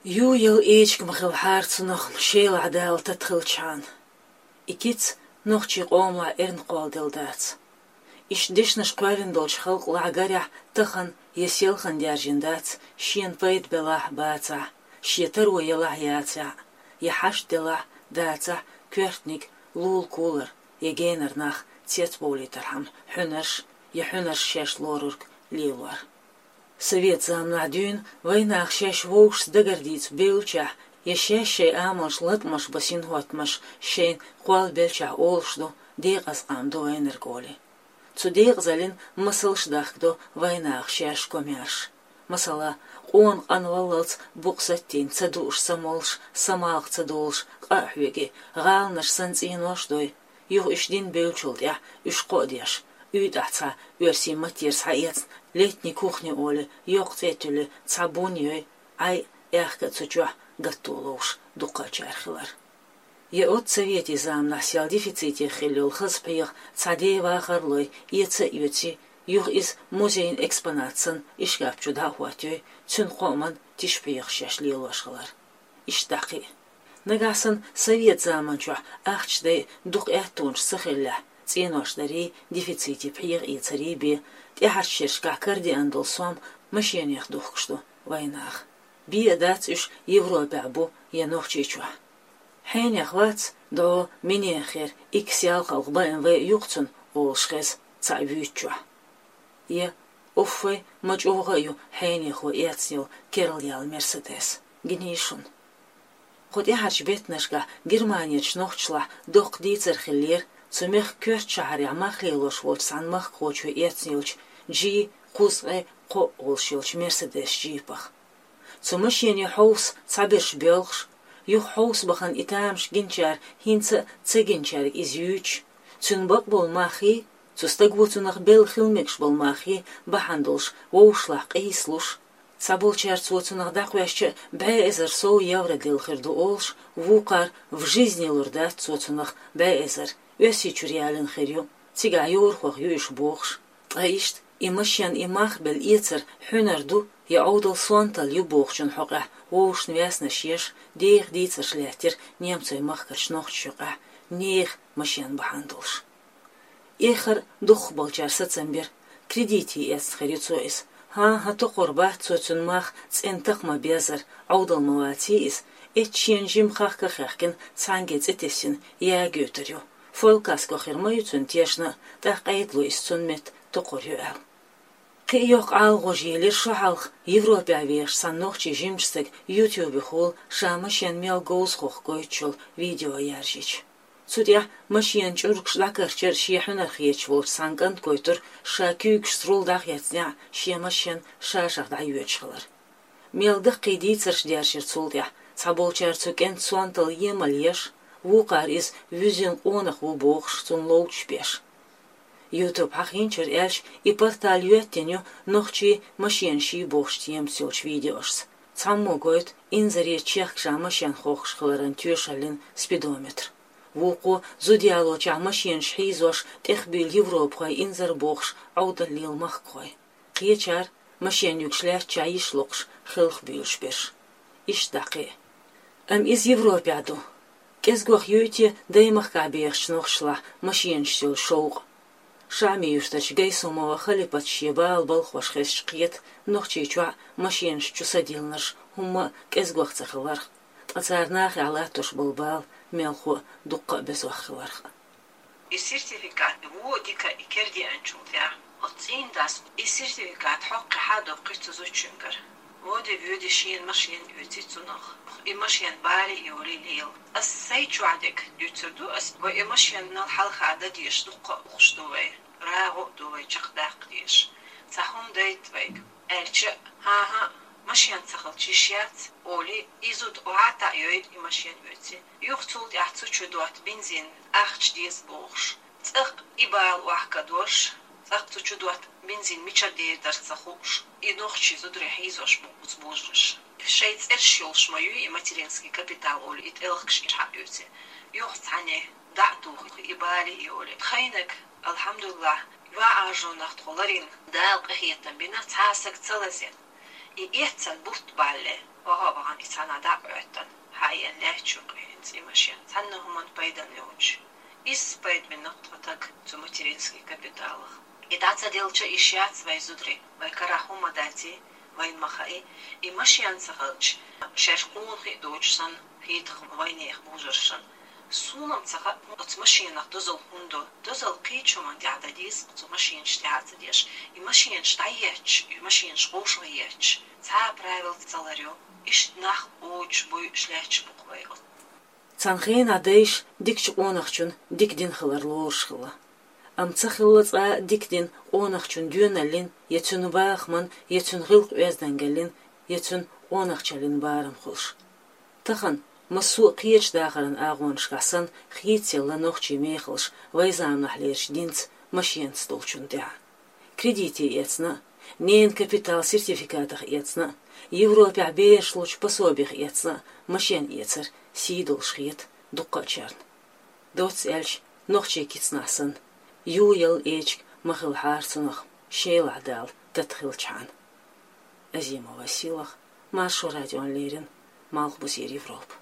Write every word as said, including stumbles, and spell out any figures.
Ю яла эчиг ма хилла хьара цунах шелахь Дала тата хилчхьана. И кица нохчий къомалахь эрна кхолладелла дац. Иштта дешнаш кхоьллина долчу халкъалахь гарехь тахана я селхана даьржина дац, шена пайда белахь а, бацахь а, шен таро елахь а, яцахь а, я хьашт делахь а, дацахь а, коьртаниг лула-кулара я генара нах цецбовлийтархьама хьуьнарш я хьуьнарш шаьш лорург лелор. Совет заманахь дуьйна вайнаха шаьш вовшашца дагардийца бевллачохь я шаьш шайн амалш латкъамаш бан синхӀоттамаш шайна кхоллабеллачохь олуш ду, декъаза къам ду вайнарг олий. Цу декъазаллин масалш дахкадо вайнаха шаьш комаьрша. Масала, къона къанваллалц букъ саттийна ца дууш, ца молуш, самалха ца долуш, къа а хьоьгий, гӀаланаш санна цӀенош а дой, юха уьш дина бевллачул тӀаьхьа уьш кхоа деш, уьйтӀахь цхьа оьрсийн маттера схьаэцна летний кухня олий, йоккха цӀе а туьллий, цхьа бун а йой, Ӏай а, аьхка а цу чохь гатто ловш дуккхачара хилар. Я оццу советийн заманахь сел дефицитехь хилла йолу хаза пхьегӀа цхьа ден вахар а лой, эца а оьций, юха иза музейн экспонат санна ишкап чу дӀа а хӀоттайой, цуьнан кхоаман тиша пхьегӀаш шаьш лелош хилар. Иштта дӀа кхин а. Нагахь санна совет заман чохь ахча дай дукха аьттонаш ца хиллехь, цӀенош дарий, дефицитехь пхьегӀа эцарий бен, тӀаьхьарчу шерашкахь карадеана долу сом машенех духкуш ду вайнаха. Бен а дац уьш Европехь бу я Нохчийчохь. Хьенех вац, дӀо, минех хир, икс ялхалгӀа Б М В юкъа цунна олуш хеза цхьаъ вуьйцучохь. Я, уффай, ма чӀогӀа а ю хьенехо эцна йолу керла яьлла Мерседес. Гиний шуна. Кху тӀаьхьарчу беттанашкахь Германерчу нохчашлахь доккха дийцар хиллера цу мехкан коьртачу шахьарехь мах лелош волчу цхьана махкахочо эцна йолчу G кхузткъе кхоъ олуш йолчу Мерседес джипах. Цу машенан хьовса цхьаберш боьлхуш, юха хьовса бахана и тамаш гинчара хӀинца а ца гинчаьрга иза юьйцуш, цуьнан бакъболу маххий, цу стага цунах белла хила мегаш болу маххий бахьана долуш вовшашлахь къийсалуш, цхьаболчара цо цунах дӀакхоьссича а бӀе эзар сов евро делла хир ду олуш, вукхара в жизни лур дац цо цунах бӀе эзар, Оьрсийчуьра ялийна хир ю, цигахь йорахох ю уьш бохуш. Ткъа иштта и машен, и мах белла эцар хьуьнар ду я Ӏовдал сонталла ю бохучун хьокъехь вовшашна ваьснаш еш, деха дийцарш лаьттира немцойн махкарчу нохчашна юкъахь, нехан машен бахьана долуш. Эххар дукхахболчара сацам бира, кредите эцна хир ю цо иза. ХӀан-хӀа, токхур бац цо цуьнан мах цӀена такха ма-беззара, Ӏовдал ма-ваций иза, эцча шена жимма хахка а хаьхкина, цхьаьнгге цӀе тесна, яга йоьйтур ю. Фолькаско хир ма ю цуьнан тешна а, тӀаккха къайдало иза цунна метта токхур ю аьлла. Кхин а йоккха ӀалагӀожа елира шо хьалха Европехь вехаш цхьана нохчийн жимачу стага ютубехула ша машен мел говза хохку гойтуш йолу видео яржийча. Цу тӀехь машенан чӀургаш дӀакарчар шен хьуьнар хеташ волчу цхьана кӀанта гойтура ша куьйгашца руль дӀахецнехь а шен машен ша-шах дӀайоьдуш хилар. Мел даккхий дийцарш дершира цул тӀаьхьа, цхьаболчара цу кӀентан сонталла емал еш, вукхара иза вуьззина къонах ву бохуш, цунна ловчаш беш. Ютуб хьахийначуьра аьлча, и портал йоьттина ю нохчий машенаш йий бохучу темаца йолчу видеошца. Цхьаммо гойту инзаре чехка ша машен хохкуш хиларан тоьшаллин спидометр. Вукхо зуда ялочохь машенаш хьийзош тӀехбуьйлу европахой инзар бохуш Ӏовдал лела махкахой. Кхечара машен юьгуш лаьттачохь йиш локхуш хелхабуьйлуш берш. Иштта дӀа кхин а. Амма иза Европехь ду. КӀезгох юй те даймахкахь бехачу нохчашлахь машенашца йолу шовкъ? ШаӀми-Юьртарчу Гайсумова Халипата шен бала балхош хезча кхета, Нохчийчохь машенаш чу садиллинарш хӀумма а кӀезгох ца хиларх, ткъа цара нахехь латтош болу бала мелхо а дуккха а безох хиларх а. И сертификат вон дика и кердеанчул тӀаьхьа, оцу цӀийнан дас и сертификат хьокхуьйту хьадоккхуьйту цу зудчуьнгара. Воде-воьде шена машен оьций цунах. И машен бале а йолий лела. Ас сайн чохь дерг дуьйцур ду ас, вай и машенал хьалха дан дезаш дуккха а ухуш ду вай. РагӀу а ду вай чекхдаккха дезаш. Цхьа хӀума дайта вайга. Аьлча, хӀан-хӀа, машен ца хилча йиш яц, олий, и зуда охьа а таӀайойла и машен оьций. Юха цул тӀаьхьа цу чу дотта бензин ахча деза бохуш. ЦӀаккха и бала охьакадош, цӀаккха цу чу дотта бензин мичара дер дара ца хууш, и нохчий зударий хьийзош бу оцу божарша. Шайн цӀераш йолуш ма юй и материнский капитал олий, и тӀелхаш иш хьаоьций. Юха цхьаьна дӀа а тухий, и бале а йолий. Тхайниг, алхьамдулиллахӀ, ван Ӏажонах тхо ларийна, Дала къинхетам бина, цхьа а саг ца лазийна. И эццан бутт балле, ваха а вахана, и Цхьаннахьа дӀа а Ӏоьттина, хьаена лаьтташ ю-кх хӀинца и машен, цхьанна хӀуманна пайдана йолча. Изза пайда бина-кх тхо тага цу материнский капиталах. И дӀа ца делча, йиш яц вай зударий, вай карахь хӀума дац, вайна ма хаьий, и машен ца хилча, шаьш къонахий доацаш санна хетаргда вайнехан божаршна. Сона-м ца хаьа, оцу машенах дозал хӀунда до. Дозал кхыча хӀуманна тӀехь дан деза, оцу машенаш тӀехь а ца деш. И машенаш дӀаетташ, и машенаш вовшахъетташ, цхьа а правил ца ларъю. Иштта нах оццул буй, иштта лаьтташ бу-кх вай оцу. Цхьана хенахь дайша дикачу къонахчун дика дин хилар лоруш хилла. Амма ца хилла цкъа а дика дин къонахчун доьналлин, я цуьнан бахаман, я цуьнан гӀиллакх-оьздангаллин, я цуьнан къонахчаллин барам хуьлуш. Тахана, массо а кхечу дахаран агӀонашкахь санна, хийцаелла нохчийн мехаллаш вайн заманахьлерчу динца, машенаца долчунна тӀехь. Кредите эцна а, ненан капитал сертификатах эцна а, Европехь бераш лучу пособих эцна а, машен эцар сий долуш хета дуккхачарна. Доцца аьлча, нохчийн кицнахь санна, юй ялла эчиг ма хилахьара цунах, Шелахь Дала тата хилчхьана. Азимова Сийлаха, Маршо радиона леррина, Малхбузера Европа.